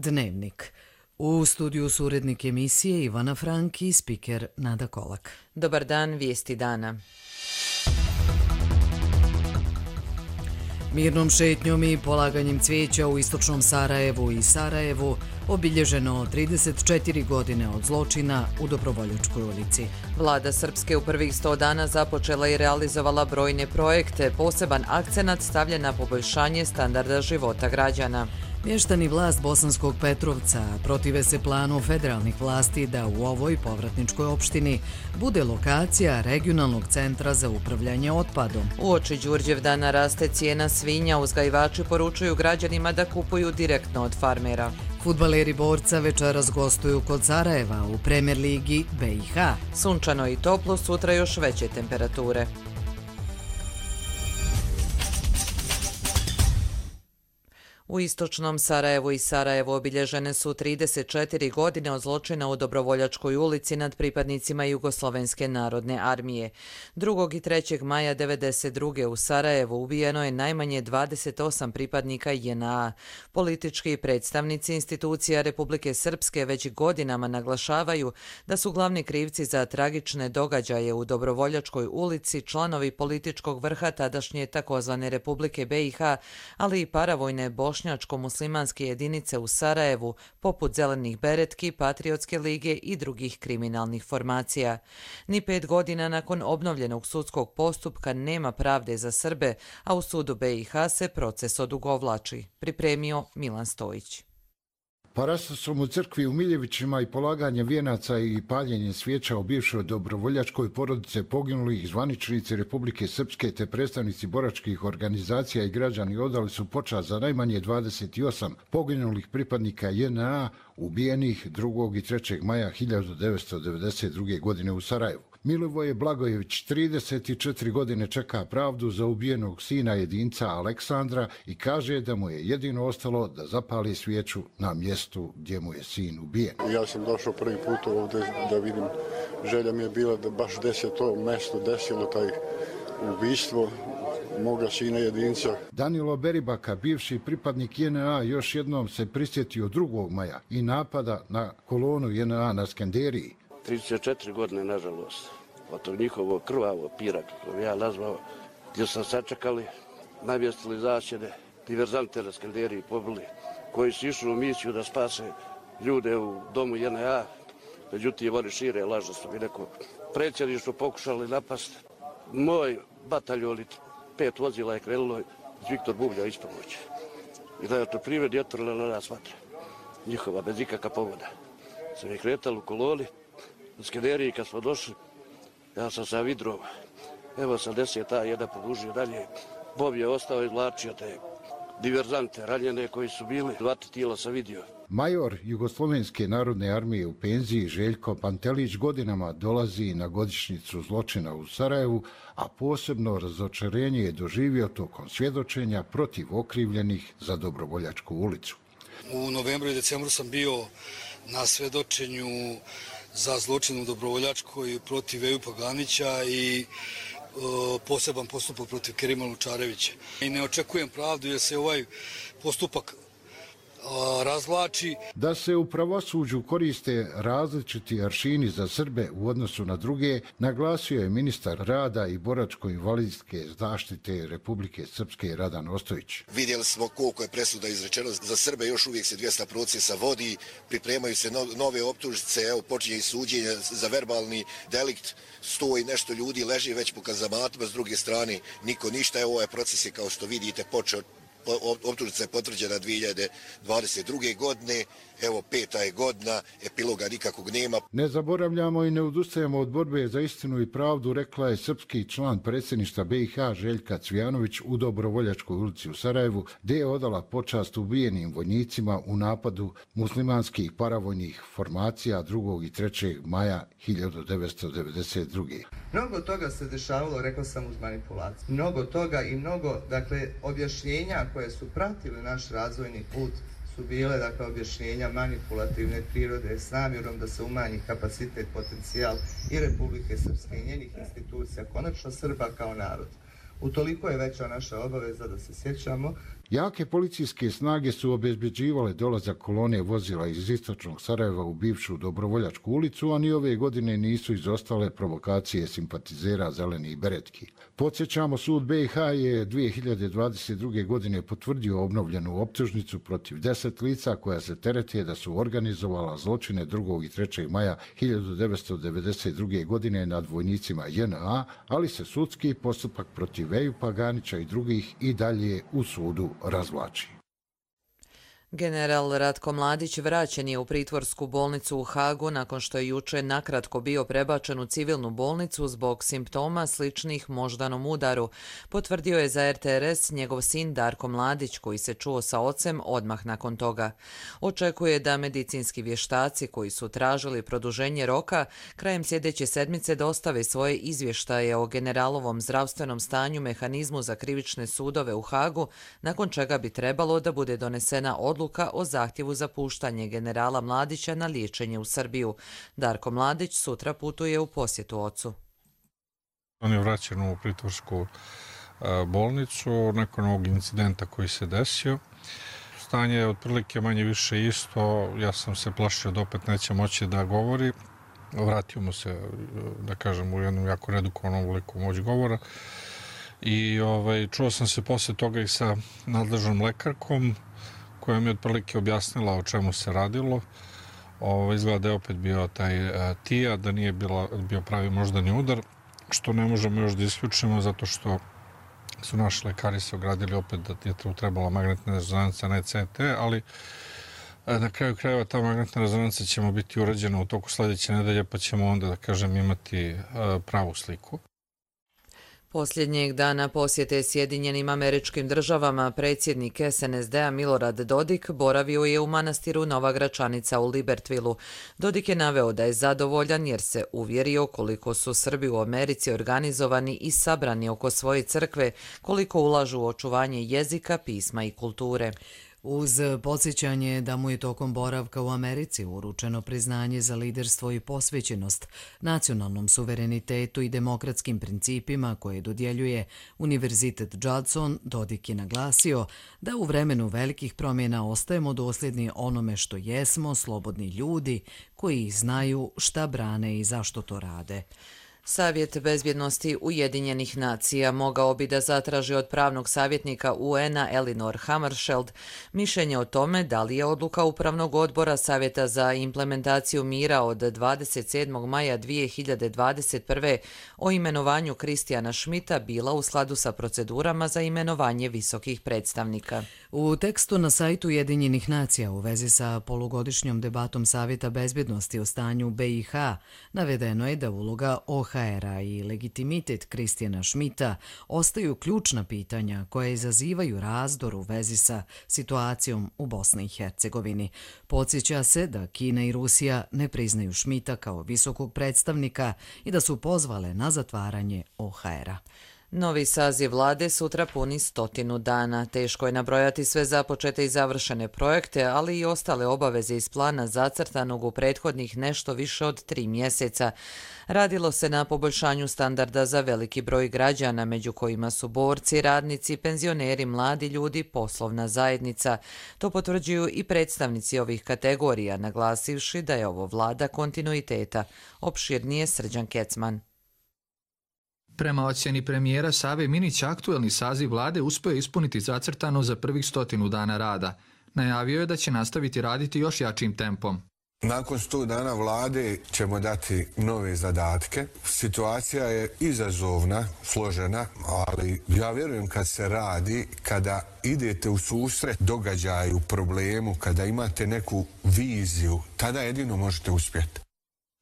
Dnevnik. U studiju su urednik emisije Ivana Frank i spiker Nada Kolak. Dobar dan, vijesti dana. Mirnom šetnjom i polaganjem cvijeća u istočnom Sarajevu i Sarajevu obilježeno 34 godine od zločina u Dobrovoljačkoj ulici. Vlada Srpske u prvih 100 dana započela i realizovala brojne projekte. Poseban akcenat stavlja na poboljšanje standarda života građana. Mještani vlast Bosanskog Petrovca protive se planu federalnih vlasti da u ovoj povratničkoj opštini bude lokacija regionalnog centra za upravljanje otpadom. Uoči Đurđevdana raste cijena svinja, uzgajivači poručuju građanima da kupuju direktno od farmera. Fudbaleri Borca večeras gostuju kod Sarajeva u Premier ligi BiH. Sunčano i toplo, sutra još veće temperature. U istočnom Sarajevu i Sarajevu obilježene su 34 godine od zločina u Dobrovoljačkoj ulici nad pripadnicima Jugoslovenske narodne armije. 2. i 3. maja 1992. u Sarajevu ubijeno je najmanje 28 pripadnika JNA. Politički predstavnici institucija Republike Srpske već godinama naglašavaju da su glavni krivci za tragične događaje u Dobrovoljačkoj ulici članovi političkog vrha tadašnje takozvane Republike BiH, ali i paravojne bošnjačko-muslimanske jedinice u Sarajevu, poput Zelenih beretki, Patriotske lige i drugih kriminalnih formacija. Ni 5 godina nakon obnovljenog sudskog postupka nema pravde za Srbe, a u sudu BiH se proces odugovlači. Pripremio Milan Stojić. Paraslasom u crkvi u Miljevićima i polaganjem vijenaca i paljenjem svijeća u bivšoj dobrovoljačkoj porodice poginulih zvaničnici Republike Srpske te predstavnici boračkih organizacija i građani odali su počast za najmanje 28 poginulih pripadnika JNA ubijenih 2. i 3. maja 1992. godine u Sarajevu. Milivoje Blagojević 34 godine čeka pravdu za ubijenog sina jedinca Aleksandra i kaže da mu je jedino ostalo da zapali svijeću na mjestu gdje mu je sin ubijen. Ja sam došao prvi put ovdje da vidim, želja mi je bila da baš se to mjesto desilo, taj ubistvo moga sina jedinca. Danilo Beribaka, bivši pripadnik JNA, još jednom se prisjetio 2. maja i napada na kolonu JNA na Skenderiji. 34 godine, nažalost, od tog njihovog krvavog pira, kako ja nazvao, gdje su sačekali, navjestili zasjede, diverzante na Skenderiji pobili, koji su išli u misiju da spase ljude u domu JNA, međutim oni šire lažno su mi neko predsjedništvo pokušali napasti. Moj bataljon, 5 vozila je krenulo iz Viktor Bublja ispomoći. I da je to privred otvorila na nas vatra. Njihova, bez ikakva povoda. Sam je kretali u koloni, u Skenderiji kad smo došli, ja sam sa vidrom, evo sam 10 jedan podužio dalje. Bob je ostao i izvlačio te diverzante, ranjene koji su bili, 2 tijela sam vidio. Major Jugoslovenske narodne armije u penziji Željko Pantelić godinama dolazi na godišnjicu zločina u Sarajevu, a posebno razočarenje je doživio tokom svjedočenja protiv okrivljenih za Dobrovoljačku ulicu. U novembru i decembru sam bio na svjedočenju za zločin u Dobrovoljačkoj protiv Ejupa Ganića i poseban postupak protiv Kerima Lučarevića. I ne očekujem pravdu jer se ovaj postupak razvlači. Da se u pravosuđu koriste različiti aršini za Srbe u odnosu na druge, naglasio je ministar rada i boračko-invalidske zaštite Republike Srpske Radan Ostojić. Vidjeli smo koliko je presuda izrečeno za Srbe, još uvijek se 200 procesa vodi, pripremaju se nove optužnice, evo počinje i suđenje za verbalni delikt, 100 i nešto ljudi leži već po kazamatima, s druge strane niko ništa, evo ovaj proces je kao što vidite počeo. Optužnica je potvrđena 2022. godine, evo 5. je godina, epiloga nikakvog nema. Ne zaboravljamo i ne odustajemo od borbe za istinu i pravdu, rekla je srpski član predsjedništva BiH Željka Cvijanović u Dobrovoljačkoj ulici u Sarajevu, gdje je odala počast ubijenim vojnicima u napadu muslimanskih paravojnih formacija 2. i 3. maja 1992. Mnogo toga se dešavalo, rekao sam, uz manipulaciju. Mnogo toga i mnogo, objašnjenja koje su pratile naš razvojni put su bile, objašnjenja manipulativne prirode s namjerom da se umanji kapacitet, potencijal i Republike Srpske i njenih institucija, konačno Srba kao narod. Utoliko je veća naša obaveza da se sjećamo Jake policijske snage su obezbeđivale dolazak kolone vozila iz istočnog Sarajeva u bivšu Dobrovoljačku ulicu, a ni ove godine nisu izostale provokacije simpatizera zelenih beretki. Podsjećamo, sud BiH je 2022. godine potvrdio obnovljenu optužnicu protiv 10 lica koja se terete da su organizovala zločine 2. i 3. maja 1992. godine nad vojnicima JNA, ali se sudski postupak protiv Ejupa Ganića i drugih i dalje u sudu razvlači. General Ratko Mladić vraćen je u pritvorsku bolnicu u Hagu nakon što je juče nakratko bio prebačen u civilnu bolnicu zbog simptoma sličnih moždanom udaru. Potvrdio je za RTRS njegov sin Darko Mladić, koji se čuo sa ocem odmah nakon toga. Očekuje da medicinski vještaci koji su tražili produženje roka krajem sljedeće sedmice dostave svoje izvještaje o generalovom zdravstvenom stanju mehanizmu za krivične sudove u Hagu, nakon čega bi trebalo da bude donesena odluka o zahtjevu za puštanje generala Mladića na liječenje u Srbiju. Darko Mladić sutra putuje u posjetu ocu. On je vraćen u pritvorsku bolnicu nakon ovog incidenta koji se desio. Stanje je otprilike manje više isto. Ja sam se plašio da opet neće moći da govori. Vratio mu se, da kažem, u jednom jako redukovanom obliku moć govora. I čuo sam se poslije toga i sa nadležnom lekarkom, koja mi je otprilike objasnila o čemu se radilo. Izgleda da je opet bio taj TIA, da nije bio pravi moždani udar, što ne možemo još da isključimo zato što su naši lekari se ogradili opet da je trebala magnetna rezonanca, ne CT, ali na kraju krajeva ta magnetna rezonanca ćemo biti urađena u toku sljedeće nedelje, pa ćemo onda, da kažem, imati pravu sliku. Posljednjeg dana posjete Sjedinjenim Američkim Državama predsjednik SNSD-a Milorad Dodik boravio je u manastiru Nova Gračanica u Libertvilu. Dodik je naveo da je zadovoljan jer se uvjerio koliko su Srbi u Americi organizovani i sabrani oko svoje crkve, koliko ulažu u očuvanje jezika, pisma i kulture. Uz podsjećanje da mu je tokom boravka u Americi uručeno priznanje za liderstvo i posvećenost nacionalnom suverenitetu i demokratskim principima koje dodjeljuje Univerzitet Judson, Dodik je naglasio da u vremenu velikih promjena ostajemo dosljedni onome što jesmo, slobodni ljudi koji znaju šta brane i zašto to rade. Savjet bezbjednosti Ujedinjenih nacija mogao bi da zatraži od pravnog savjetnika UN-a Elinor Hammarskjöld mišljenje o tome da li je odluka Upravnog odbora Savjeta za implementaciju mira od 27. maja 2021. o imenovanju Kristijana Schmidta bila u skladu sa procedurama za imenovanje visokih predstavnika. U tekstu na sajtu Ujedinjenih nacija u vezi sa polugodišnjom debatom Savjeta bezbjednosti o stanju BiH navedeno je da uloga OHR-a i legitimitet Kristijana Schmidta ostaju ključna pitanja koja izazivaju razdor u vezi sa situacijom u Bosni i Hercegovini. Podsjeća se da Kina i Rusija ne priznaju Schmidta kao visokog predstavnika i da su pozvale na zatvaranje OHR-a. Novi saziv vlade sutra puni 100 dana. Teško je nabrojati sve započete i završene projekte, ali i ostale obaveze iz plana zacrtanog u prethodnih nešto više od 3 mjeseca. Radilo se na poboljšanju standarda za veliki broj građana, među kojima su borci, radnici, penzioneri, mladi ljudi, poslovna zajednica. To potvrđuju i predstavnici ovih kategorija, naglasivši da je ovo vlada kontinuiteta. Opširnije Srđan Kecman. Prema ocjeni premijera Save Minića, aktuelni saziv vlade uspio je ispuniti zacrtano za prvih 100 dana rada. Najavio je da će nastaviti raditi još jačim tempom. Nakon 100 dana vlade ćemo dati nove zadatke. Situacija je izazovna, složena, ali ja vjerujem kad se radi, kada idete u susret događaju, problemu, kada imate neku viziju, tada jedino možete uspjeti.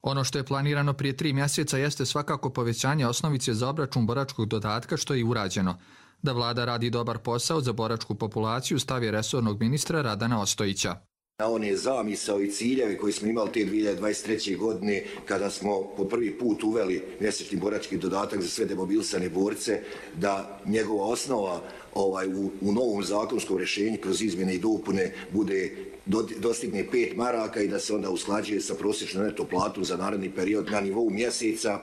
Ono što je planirano prije 3 mjeseca jeste svakako povećanje osnovice za obračun boračkog dodatka, što je i urađeno. Da vlada radi dobar posao za boračku populaciju stav je resornog ministra Radana Ostojića. Na one zamisao i ciljeve koji smo imali te 2023. godine kada smo po prvi put uveli mjesečni borački dodatak za sve demobilisane borce, da njegova osnova u novom zakonskom rješenju kroz izmjene i dopune dostigne 5 maraka i da se onda usklađuje sa prosječnom neto platom za naredni period na nivou mjeseca.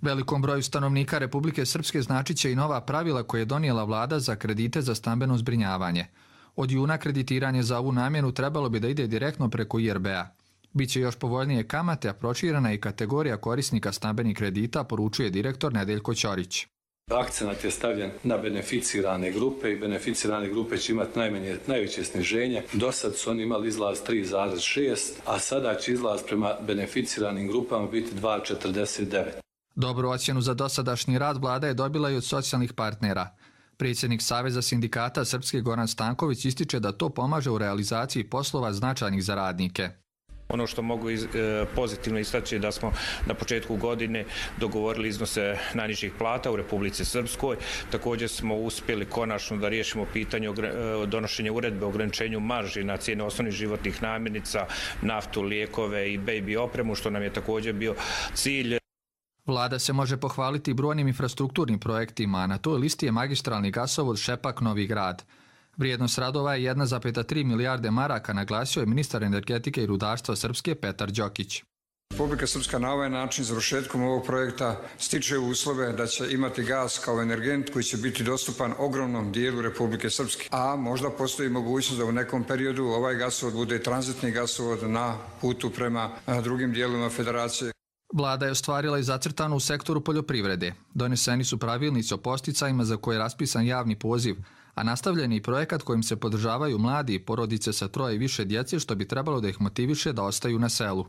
Velikom broju stanovnika Republike Srpske značit će i nova pravila koje je donijela vlada za kredite za stambeno zbrinjavanje. Od juna kreditiranje za ovu namjenu trebalo bi da ide direktno preko IRB-a. Biće još povoljnije kamate, a proširena je i kategorija korisnika stambenih kredita, poručuje direktor Nedeljko Ćorić. Akcenat je stavljen na beneficirane grupe i beneficirane grupe će imati najveće sniženje. Do sad su oni imali izlaz 3,6, a sada će izlaz prema beneficiranim grupama biti 2,49. Dobru ocjenu za dosadašnji rad vlada je dobila i od socijalnih partnera. Predsjednik Saveza sindikata Srpske Goran Stanković ističe da to pomaže u realizaciji poslova značajnih za radnike. Ono što mogu pozitivno istaći je da smo na početku godine dogovorili iznose najnižih plata u Republici Srpskoj. Također smo uspjeli konačno da riješimo pitanje donošenja uredbe o ograničenju marži na cijene osnovnih životnih namirnica, naftu, lijekove i baby opremu, što nam je također bio cilj. Vlada se može pohvaliti brojnim infrastrukturnim projektima, a na toj listi je magistralni gasovod Šepak-Novi Grad. Vrijednost radova je 1,3 milijarde maraka, naglasio je ministar energetike i rudarstva Srpske Petar Đokić. Republika Srpska na ovaj način završetkom ovog projekta stiče uslove da će imati gas kao energent koji će biti dostupan ogromnom dijelu Republike Srpske. A možda postoji mogućnost da u nekom periodu ovaj gasovod bude tranzitni gasovod na putu prema drugim dijelovima federacije. Vlada je ostvarila i zacrtano u sektoru poljoprivrede. Doneseni su pravilnici o podsticajima za koje je raspisan javni poziv, a nastavljen je i projekat kojim se podržavaju mladi i porodice sa 3 i više djece, što bi trebalo da ih motiviše da ostaju na selu.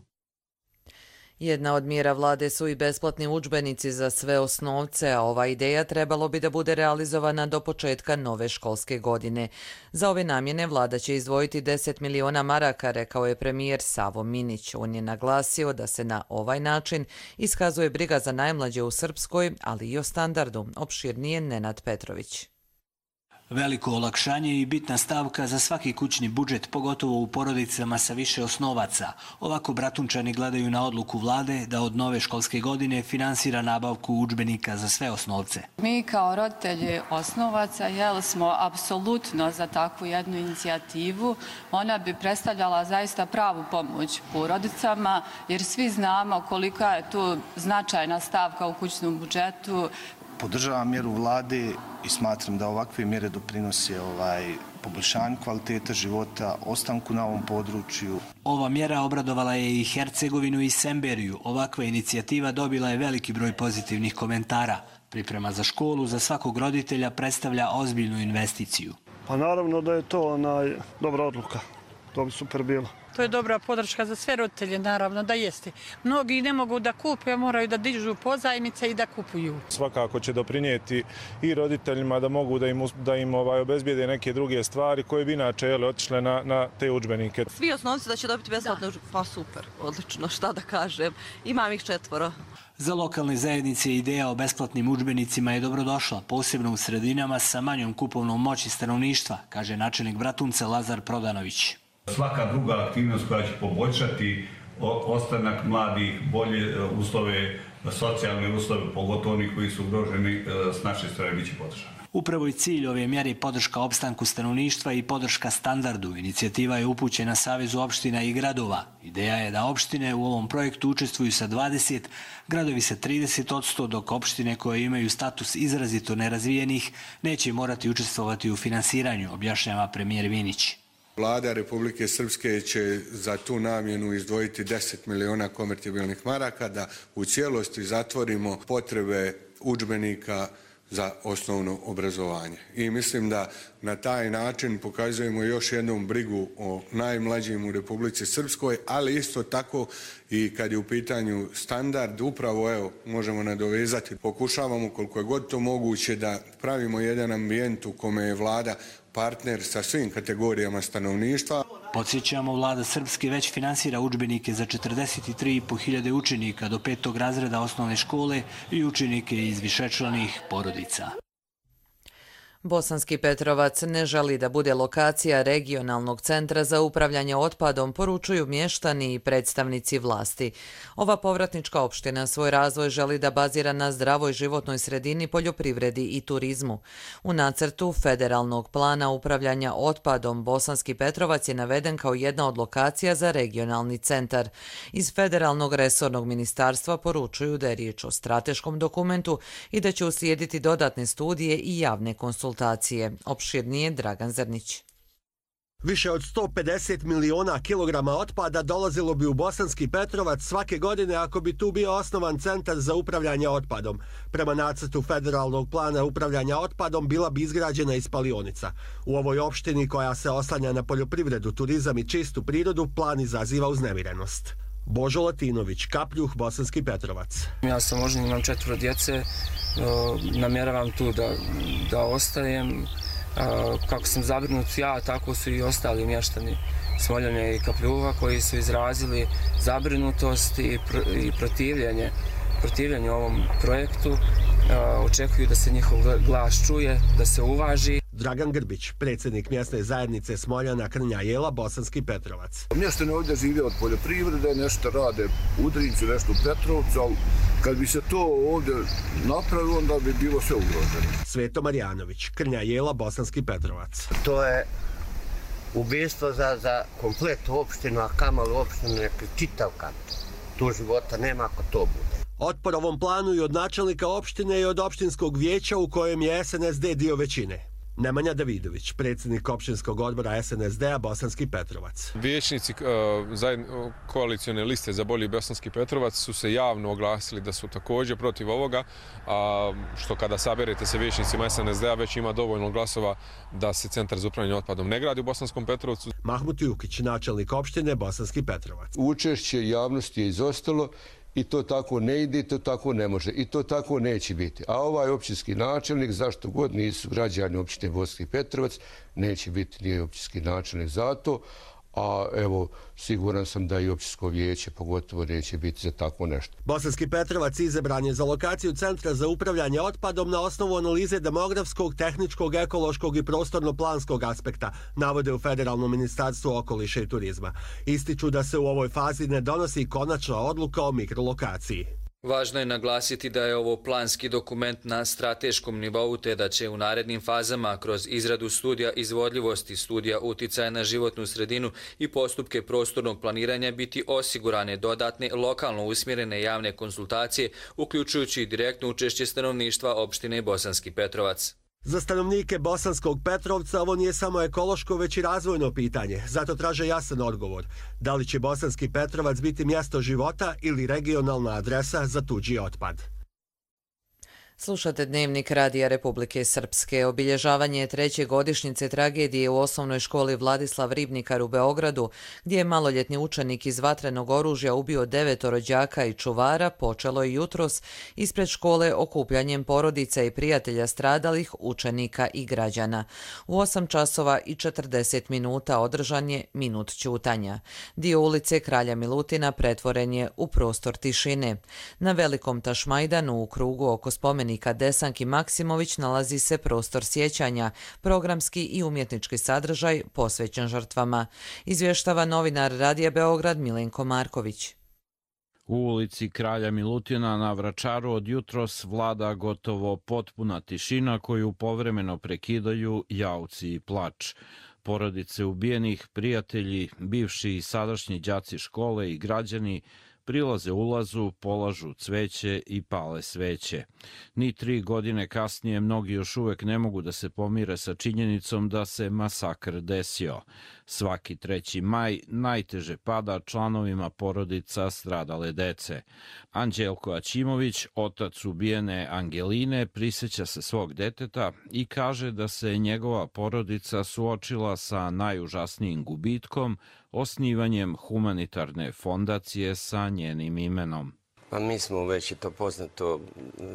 Jedna od mjera vlade su i besplatni udžbenici za sve osnovce, a ova ideja trebalo bi da bude realizovana do početka nove školske godine. Za ove namjene vlada će izdvojiti 10 miliona maraka, rekao je premijer Savo Minić. On je naglasio da se na ovaj način iskazuje briga za najmlađe u Srpskoj, ali i o standardu. Opširnije Nenad Petrović. Veliko olakšanje i bitna stavka za svaki kućni budžet, pogotovo u porodicama sa više osnovaca. Ovako Bratunčani gledaju na odluku vlade da od nove školske godine finansira nabavku udžbenika za sve osnovce. Mi kao roditelji osnovaca smo apsolutno za takvu jednu inicijativu. Ona bi predstavljala zaista pravu pomoć porodicama, jer svi znamo kolika je tu značajna stavka u kućnom budžetu. Podržavam mjeru vlade i smatram da ovakve mjere doprinose poboljšanju kvaliteta života, ostanku na ovom području. Ova mjera obradovala je i Hercegovinu i Semberiju. Ovakva inicijativa dobila je veliki broj pozitivnih komentara. Priprema za školu za svakog roditelja predstavlja ozbiljnu investiciju. Pa naravno da je to dobra odluka. To bi super bilo. To je dobra podrška za sve roditelje, naravno da jeste. Mnogi ne mogu da kupe, moraju da dižu pozajmice i da kupuju. Svakako će doprinijeti i roditeljima da mogu da im obezbijede neke druge stvari koje bi inače otišle na te udžbenike. Svi osnovci da će dobiti besplatno, pa super, odlično, šta da kažem. Imam ih 4. Za lokalne zajednice ideja o besplatnim udžbenicima je dobrodošla, posebno u sredinama sa manjom kupovnom moći stanovništva, kaže načelnik Bratunca Lazar Prodanović. Svaka druga aktivnost koja će poboljšati ostanak mladih, bolje uslove, socijalne uslove, pogotovo oni koji su ugroženi, s naše strane biće podržana. Upravo i cilj ove mjere je podrška opstanku stanovništva i podrška standardu. Inicijativa je upućena Savezu opština i gradova. Ideja je da opštine u ovom projektu učestvuju sa 20%, gradovi sa 30%, dok opštine koje imaju status izrazito nerazvijenih neće morati učestvovati u finansiranju, objašnjava premijer Vinić. Vlada Republike Srpske će za tu namjenu izdvojiti 10 miliona konvertibilnih maraka da u cijelosti zatvorimo potrebe udžbenika za osnovno obrazovanje. I mislim da na taj način pokazujemo još jednom brigu o najmlađim u Republici Srpskoj, ali isto tako i kad je u pitanju standard, upravo možemo nadovezati, pokušavamo koliko je god to moguće da pravimo jedan ambijent u kome je vlada partner sa svim kategorijama stanovništva. Podsjećamo, vlada Srpske već finansira udžbenike za 43.500 učenika do 5. razreda osnovne škole i učenike iz višečlanih porodica. Bosanski Petrovac ne želi da bude lokacija regionalnog centra za upravljanje otpadom, poručuju mještani i predstavnici vlasti. Ova povratnička opština svoj razvoj želi da bazira na zdravoj životnoj sredini, poljoprivredi i turizmu. U nacrtu federalnog plana upravljanja otpadom Bosanski Petrovac je naveden kao jedna od lokacija za regionalni centar. Iz federalnog resornog ministarstva poručuju da je riječ o strateškom dokumentu i da će uslijediti dodatne studije i javne konsultacije. Opširnije Dragan Zrnić. Više od 150 miliona kilograma otpada dolazilo bi u Bosanski Petrovac svake godine ako bi tu bio osnovan centar za upravljanje otpadom. Prema nacrtu federalnog plana upravljanja otpadom bila bi izgrađena i spalionica. U ovoj opštini koja se oslanja na poljoprivredu, turizam i čistu prirodu plan izaziva uznemirenost. Božo Latinović, Kapljuh, Bosanski Petrovac. Ja sam oženjen, imam 4 djece, namjeravam tu da ostajem. Kako sam zabrinut ja, tako su i ostali mještani Smoljane i Kapljuha koji su izrazili zabrinutost i protivljenje ovom projektu. Očekuju da se njihov glas čuje, da se uvaži. Dragan Grbić, predsjednik mjesne zajednice Smoljana, Krnja Jela, Bosanski Petrovac. Mještani ovdje žive od poljoprivrede, nešto rade u Udrincu, nešto u Petrovcu, ali kad bi se to ovdje napravilo, onda bi bilo sve ugroženo. Sveto Marjanović, Krnja Jela, Bosanski Petrovac. To je ubistvo za kompletnu opštinu, a kamali opštinu neki čitav kanton. Tu života nema ako to bude. Otpor ovom planu i od načelnika opštine i od opštinskog vijeća u kojem je SNSD dio većine. Nemanja Davidović, predsjednik opštinskog odbora SNSD-a Bosanski Petrovac. Vijećnici koalicijone liste za bolji Bosanski Petrovac su se javno oglasili da su također protiv ovoga, što kada saberete se vijećnicima SNSD-a već ima dovoljno glasova da se centar za upravljanje otpadom ne gradi u Bosanskom Petrovcu. Mahmut Jukić, načelnik opštine Bosanski Petrovac. Učešće javnosti je izostalo i to tako ne ide, i to tako ne može, i to tako neće biti. A ovaj općinski načelnik, zašto god nisu građani općine Bosanski Petrovac, neće biti ni općinski načelnik zato, a evo, siguran sam da i općinsko vijeće pogotovo neće biti za tako nešto. Bosanski Petrovac izabran je za lokaciju Centra za upravljanje otpadom na osnovu analize demografskog, tehničkog, ekološkog i prostorno-planskog aspekta, navode u Federalnom ministarstvu okoliša i turizma. Ističu da se u ovoj fazi ne donosi konačna odluka o mikrolokaciji. Važno je naglasiti da je ovo planski dokument na strateškom nivou te da će u narednim fazama kroz izradu studija izvodljivosti, studija uticaja na životnu sredinu i postupke prostornog planiranja biti osigurane dodatne lokalno usmjerene javne konsultacije, uključujući i direktno učešće stanovništva opštine Bosanski Petrovac. Za stanovnike Bosanskog Petrovca ovo nije samo ekološko, već i razvojno pitanje. Zato traže jasan odgovor. Da li će Bosanski Petrovac biti mjesto života ili regionalna adresa za tuđi otpad? Slušate Dnevnik Radija Republike Srpske. Obilježavanje 3. godišnjice tragedije u osnovnoj školi Vladislav Ribnikar u Beogradu, gdje je maloljetni učenik iz vatrenog oružja ubio 9 đaka i čuvara, počelo je jutros ispred škole okupljanjem porodica i prijatelja stradalih, učenika i građana. U 8 časova i 40 minuta održan je minut ćutanja. Dio ulice Kralja Milutina pretvoren je u prostor tišine. Na Velikom Tašmajdanu u krugu oko spomenika Desanki Maksimović nalazi se prostor sjećanja, programski i umjetnički sadržaj posvećen žrtvama. Izvještava novinar Radija Beograd Milenko Marković. U ulici Kralja Milutina na Vračaru od jutros vlada gotovo potpuna tišina koju povremeno prekidaju jauci i plač. Porodice ubijenih, prijatelji, bivši i sadašnji đaci škole i građani prilaze ulazu, polažu cveće i pale sveće. Ni 3 godine kasnije mnogi još uvek ne mogu da se pomire sa činjenicom da se masakr desio. Svaki 3. maj najteže pada članovima porodica stradale dece. Anđelko Aćimović, otac ubijene Angeline, prisjeća se svog deteta i kaže da se njegova porodica suočila sa najužasnijim gubitkom, osnivanjem humanitarne fondacije sa njenim imenom. Pa mi smo već i to poznato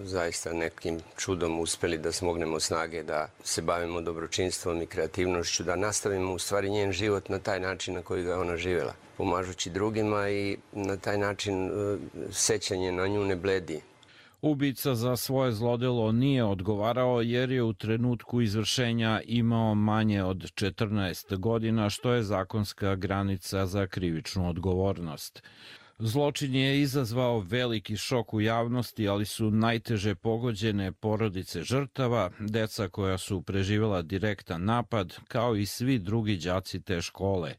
zaista nekim čudom uspjeli da smognemo snage da se bavimo dobročinstvom i kreativnošću, da nastavimo u stvari njen život na taj način na koji ga ona živjela, pomažući drugima i na taj način sećanje na nju ne bledi. Ubica za svoje zlodelo nije odgovarao jer je u trenutku izvršenja imao manje od 14 godina, što je zakonska granica za krivičnu odgovornost. Zločin je izazvao veliki šok u javnosti, ali su najteže pogođene porodice žrtava, deca koja su preživjela direktan napad, kao i svi drugi đaci te škole.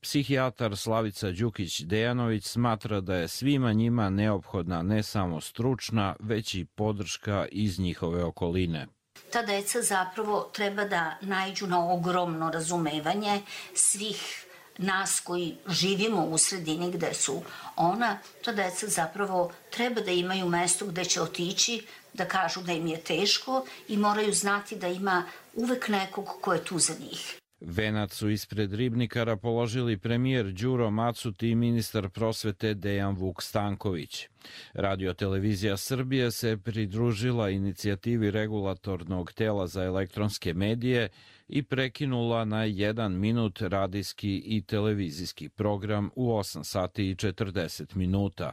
Psihijatar Slavica Đukić-Dejanović smatra da je svima njima neophodna ne samo stručna, već i podrška iz njihove okoline. ta deca zapravo treba da naiđu na ogromno razumevanje svih nas koji živimo u sredini gde su ona. Ta deca zapravo treba da imaju mesto gde će otići, da kažu da im je teško i moraju znati da ima uvek nekog ko je tu za njih. Venac su ispred Ribnikara položili premijer Đuro Macuti i ministar prosvete Dejan Vuk Stanković. Radio-televizija Srbije se pridružila inicijativi regulatornog tela za elektronske medije i prekinula na 1 minut radijski i televizijski program u 8 sati i 40 minuta.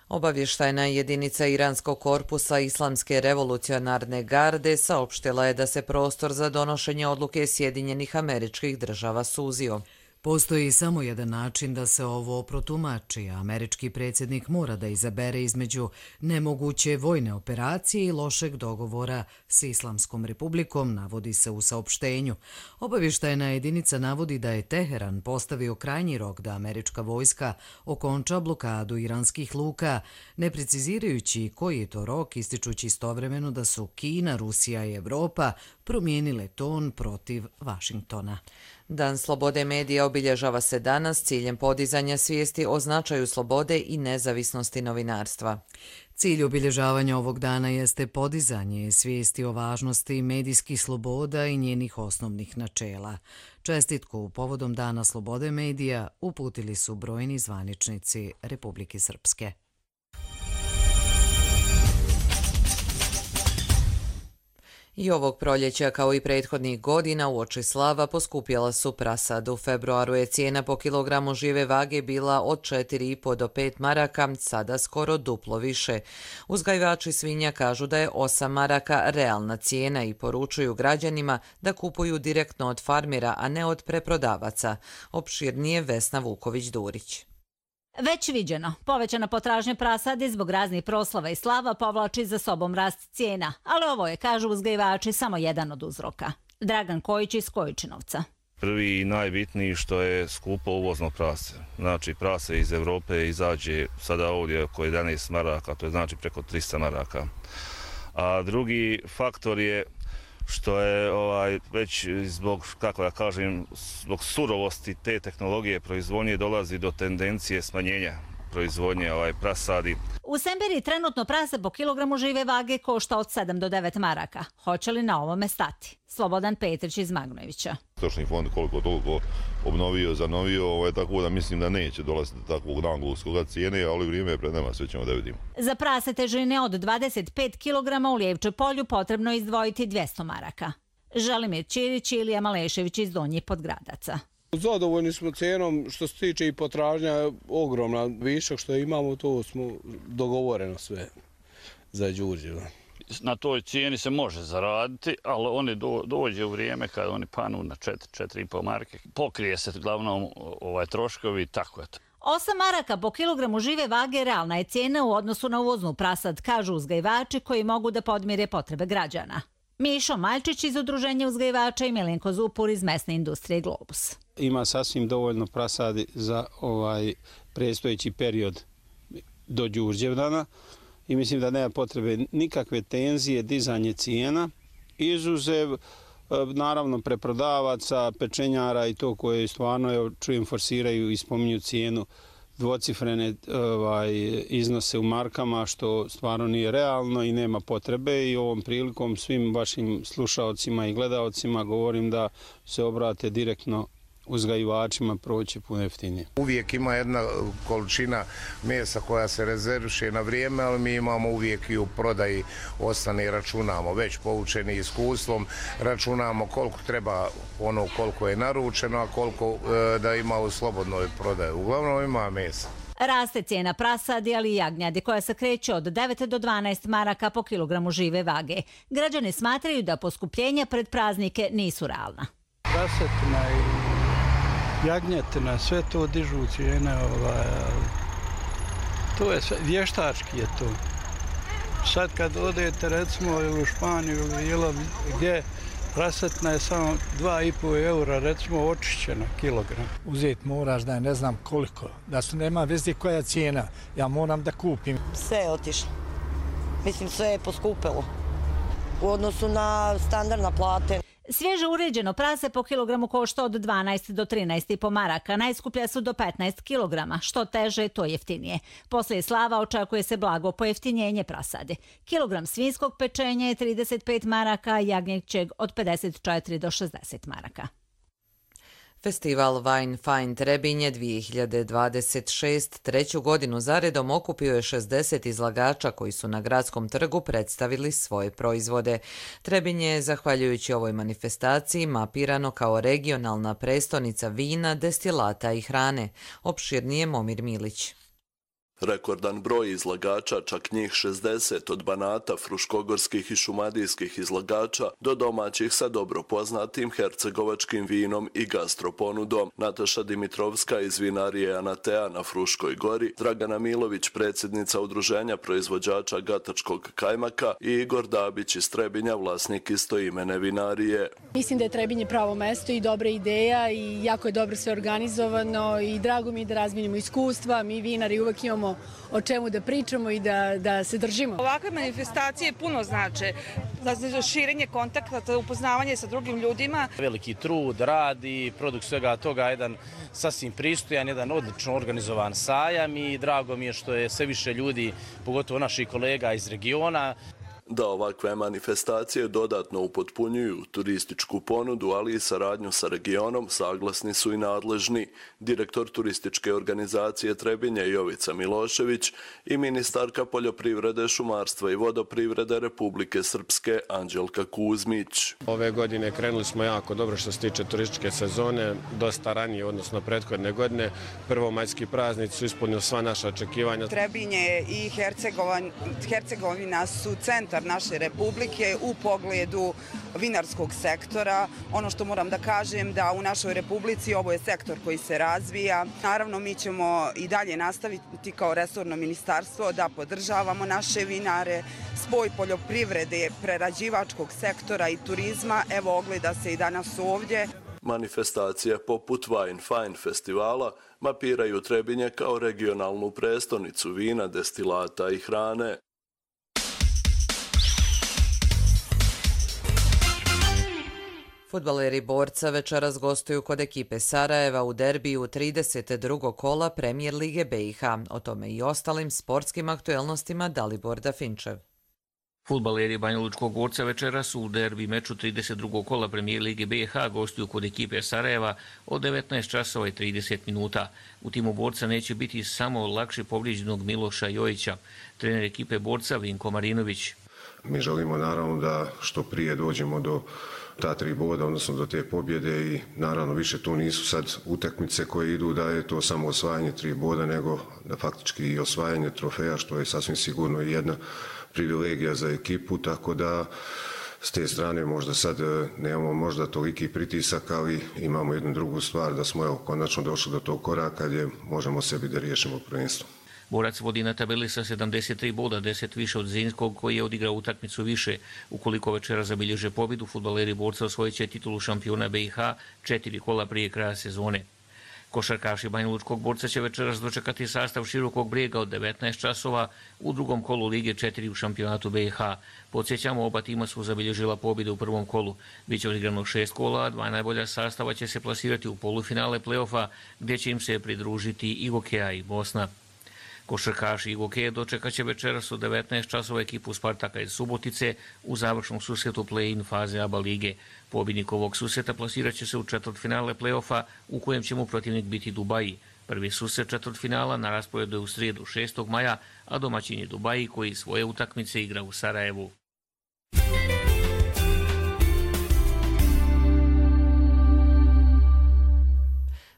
Obavještajna jedinica Iranskog korpusa Islamske revolucionarne garde saopštila je da se prostor za donošenje odluke Sjedinjenih Američkih Država suzio. Postoji samo jedan način da se ovo protumači. Američki predsjednik mora da izabere između nemoguće vojne operacije i lošeg dogovora s Islamskom republikom, navodi se u saopštenju. Obavještajna jedinica navodi da je Teheran postavio krajnji rok da američka vojska okonča blokadu iranskih luka, ne precizirajući koji je to rok, ističući istovremeno da su Kina, Rusija i Evropa promijenile ton protiv Vašingtona. Dan slobode medija obilježava se danas ciljem podizanja svijesti o značaju slobode i nezavisnosti novinarstva. Cilj obilježavanja ovog dana jeste podizanje svijesti o važnosti medijskih sloboda i njenih osnovnih načela. Čestitku povodom Dana slobode medija uputili su brojni zvaničnici Republike Srpske. I ovog proljeća, kao i prethodnih godina, uoči slava poskupjela su prasad. U februaru je cijena po kilogramu žive vage bila od 4,5 do 5 maraka, sada skoro duplo više. Uzgajivači svinja kažu da je 8 maraka realna cijena i poručuju građanima da kupuju direktno od farmera, a ne od preprodavaca. Opširnije Vesna Vuković-Durić. Već viđeno, povećana potražnja prasadi zbog raznih proslava i slava povlači za sobom rast cijena, ali ovo je, kažu uzgajivači, samo jedan od uzroka. Dragan Kojić iz Kojičinovca. Prvi i najbitniji što je skupo uvozno prase. Znači prase iz Evrope izađe sada ovdje oko 11 maraka, to je znači preko 300 maraka. A drugi faktor je što je već zbog, kako da kažem, zbog surovosti te tehnologije proizvodnje dolazi do tendencije smanjenja proizvodnje prasadi. U Semberiji trenutno prase po kilogramu žive vage košta od 7 do 9 maraka. Hoće li na ovome stati? Slobodan Petrić iz Magnojevića. Stočni fond koliko toliko obnovio, zanovio, tako da mislim da neće dolaziti do takvog nagluskog cijene, ali vrijeme je pred nama, sve ćemo da vidimo. Za prase težine od 25 kg u Lijevče polju potrebno je izdvojiti 200 maraka. Želimir Ćirić i Ilija Malešević iz Donjih Podgradaca. Zadovoljni smo cenom, što se tiče i potražnja, ogromna višak što imamo, to smo dogovoreno sve za Đurđeva. Na toj cijeni se može zaraditi, ali oni dođe u vrijeme kada oni panu na 4,5 marke. Pokrije se glavnom troškovi i tako je to. 8 maraka po kilogramu žive vage realna je cijena u odnosu na uvoznu prasad, kažu uzgajivači koji mogu da podmire potrebe građana. Mišo Maljčić iz Udruženja uzgajivača i Milenko Zupur iz mesne industrije Globus. Ima sasvim dovoljno prasadi za predstojeći period do Đurđevdana i mislim da nema potrebe nikakve tenzije, dizanje cijena, izuzev naravno preprodavaca, pečenjara i to koje stvarno, čujem, forsiraju i spominju cijenu dvocifrene iznose u markama, što stvarno nije realno i nema potrebe, i ovom prilikom svim vašim slušaocima i gledaocima govorim da se obrate direktno uzgajivačima, proći puno jeftinije. Uvijek ima jedna količina mesa koja se rezerviše na vrijeme, ali mi imamo uvijek i u prodaji ostane i računamo, već poučeni iskustvom, računamo koliko treba, ono koliko je naručeno, a koliko da ima u slobodnoj prodaji. Uglavnom ima mesa. Raste cijena prasadi, ali i jagnjadi, koja se kreće od 9 do 12 maraka po kilogramu žive vage. Građani smatraju da poskupljenja pred praznike nisu realna. Prasetina i jagnjetina, sve to dižu cijene, to je sve, vještački je to. Sad kad odete recimo u Španiju ili bilo gdje, prasetina je samo 2,5 eura, recimo očišćena kilogram. Uzeti moraš da ne znam koliko, da su nema veze koja cijena, ja moram da kupim. Sve je otišlo, mislim sve je poskupilo. u odnosu na standardna plate. Svježe uređeno prase po kilogramu košta od 12 do 13,5 maraka, najskuplja su do 15 kilograma, što teže, to jeftinije. Poslije slava očekuje se blago pojeftinjenje prasadi. Kilogram svinjskog pečenja je 35 maraka, jagnjećeg od 54 do 60 maraka. Festival Wine Fine Trebinje 2026 treću godinu zaredom okupio je 60 izlagača koji su na gradskom trgu predstavili svoje proizvode. Trebinje je, zahvaljujući ovoj manifestaciji, mapirano kao regionalna prestonica vina, destilata i hrane. Opširnije Momir Milić. Rekordan broj izlagača, čak njih 60 od Banata, fruškogorskih i šumadijskih izlagača do domaćih sa dobro poznatim hercegovačkim vinom i gastroponudom. Nataša Dimitrovska iz vinarije Anatea na Fruškoj gori, Dragana Milović, predsjednica udruženja proizvođača gatačkog kajmaka i Igor Dabić iz Trebinja, vlasnik istoimene vinarije. Mislim da je Trebinje pravo mesto i dobra ideja i jako je dobro sve organizovano i drago mi je da razminimo iskustva. Mi vinari uvek imamo o čemu da pričamo i da se držimo. Ovakve manifestacije puno znače za širenje kontakta, upoznavanje sa drugim ljudima. Veliki trud, rad i produkt svega toga, jedan sasvim pristojan, jedan odlično organizovan sajam i drago mi je što je sve više ljudi, pogotovo naših kolega iz regiona. Da ovakve manifestacije dodatno upotpunjuju turističku ponudu, ali i saradnju sa regionom, saglasni su i nadležni. Direktor turističke organizacije Trebinje Jovica Milošević i ministarka poljoprivrede, šumarstva i vodoprivrede Republike Srpske Anđelka Kuzmić. Ove godine krenuli smo jako dobro što se tiče turističke sezone, dosta ranije, odnosno prethodne godine. Prvomajski praznici su ispunili sva naša očekivanja. Trebinje i Hercegovina su centar naše republike u pogledu vinarskog sektora. Ono što moram da kažem da u našoj republici ovo je sektor koji se razvija. Naravno, mi ćemo i dalje nastaviti kao resorno ministarstvo da podržavamo naše vinare, spoj poljoprivrede, prerađivačkog sektora i turizma. Evo, ogleda se i danas ovdje. Manifestacije poput Wine Fine festivala mapiraju Trebinje kao regionalnu prestonicu vina, destilata i hrane. Fudbaleri Borca večeras gostuju kod ekipe Sarajeva u derbiju 32. kola Premijer Lige BiH. O tome i ostalim sportskim aktuelnostima Dalibor Dafinčev. Fudbaleri Banjalučkog Borca večeras u derbi meču 32. kola Premijer Lige BiH gostuju kod ekipe Sarajeva od 19 časova i 30 minuta. U timu Borca neće biti samo lakše povrijeđenog Miloša Jojića. Trener ekipe Borca Vinko Marinović. Mi želimo naravno da što prije dođemo do ta 3 boda, odnosno do te pobjede i naravno više tu nisu sad utakmice koje idu da je to samo osvajanje 3 boda, nego da faktički i osvajanje trofeja, što je sasvim sigurno jedna privilegija za ekipu, tako da s te strane možda sad nemamo možda toliki pritisak, ali imamo jednu drugu stvar, da smo konačno došli do tog koraka gdje možemo sebi da riješimo prvenstvo. Borac vodi na tabeli sa 73 boda, 10 više od Zrinskog koji je odigrao utakmicu više. Ukoliko večera zabilježe pobjedu, fudbaleri Borca osvojit će titulu šampiona BiH 4 kola prije kraja sezone. Košarkaši Banjalučkog Borca će večeras dočekati sastav Širokog Brijega od 19 časova u drugom kolu Lige 4 u šampionatu BiH. Podsjećamo, oba tima su zabilježila pobjedu u prvom kolu. Biće odigrano 6 kola, 2 najbolja sastava će se plasirati u polufinale play-offa gdje će im se pridružiti i Gokeja i Bosna. Košarkaši i Gokeje dočekat će večeras u 19 časova ekipu Spartaka iz Subotice u završnom susretu play-in faze ABA lige. Pobjednik ovog susreta plasirat će se u četvrtfinale play-offa u kojem će mu protivnik biti Dubaji. Prvi susret četvrtfinala na rasporedu je u srijedu 6. maja, a domaćin je Dubaji koji svoje utakmice igra u Sarajevu.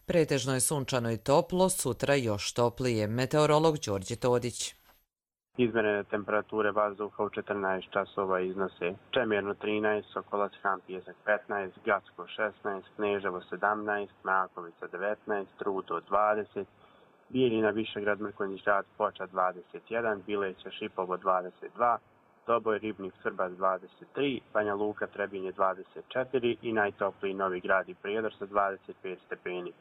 Pretežno je sunčano i toplo, sutra još toplije. Meteorolog Đorđe Todić. Izmjerene temperature vazduha u 14 časova iznose Čemirno 13, Sokolac Han Pijesak 15, Gacko 16, Kneževo 17, Mrakovica 19, Rudo 20, Bijeljina Višegrad Mrkonjić Grad Ploča 21, Bileća Šipovo 22, Doboj Ribnik Srbac 23, Banja Luka Trebinje 24 i najtopliji Novi Grad i Prijedor sa 25 stepeni.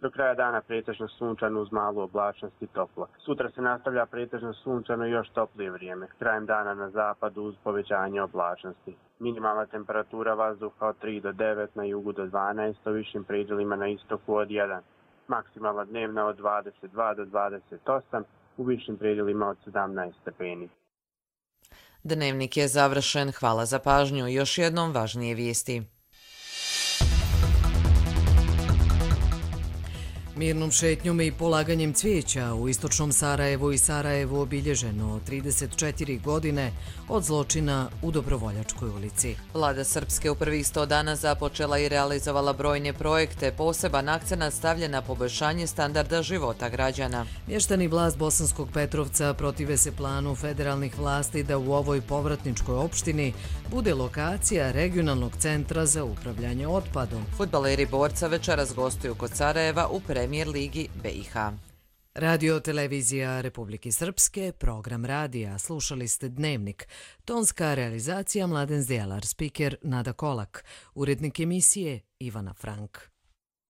Do kraja dana pretežno sunčano uz malu oblačnost i toplo. Sutra se nastavlja pretežno sunčano i još toplije vrijeme. Krajem dana na zapadu uz povećanje oblačnosti. Minimalna temperatura vazduha od 3 do 9, na jugu do 12, u višim predjelima na istoku od 1. Maksimalna dnevna od 22 do 28, u višim predjelima od 17 stepeni. Dnevnik je završen. Hvala za pažnju. Još jednom važnije vijesti. Mirnom šetnjom i polaganjem cvijeća u istočnom Sarajevu i Sarajevu obilježeno 34 godine od zločina u Dobrovoljačkoj ulici. Vlada Srpske u prvih 100 dana započela i realizovala brojne projekte, poseban akcenat stavlja na poboljšanje standarda života građana. Mještani vlast Bosanskog Petrovca protive se planu federalnih vlasti da u ovoj povratničkoj opštini bude lokacija regionalnog centra za upravljanje otpadom. Fudbaleri Borca večeras gostuju kod Sarajeva u Premijer ligi BiH. Radio televizija Republike Srpske, program radija, slušali ste Dnevnik. Tonska realizacija Mladen Zdjelar, spiker Nada Kolak, urednik emisije Ivana Frank.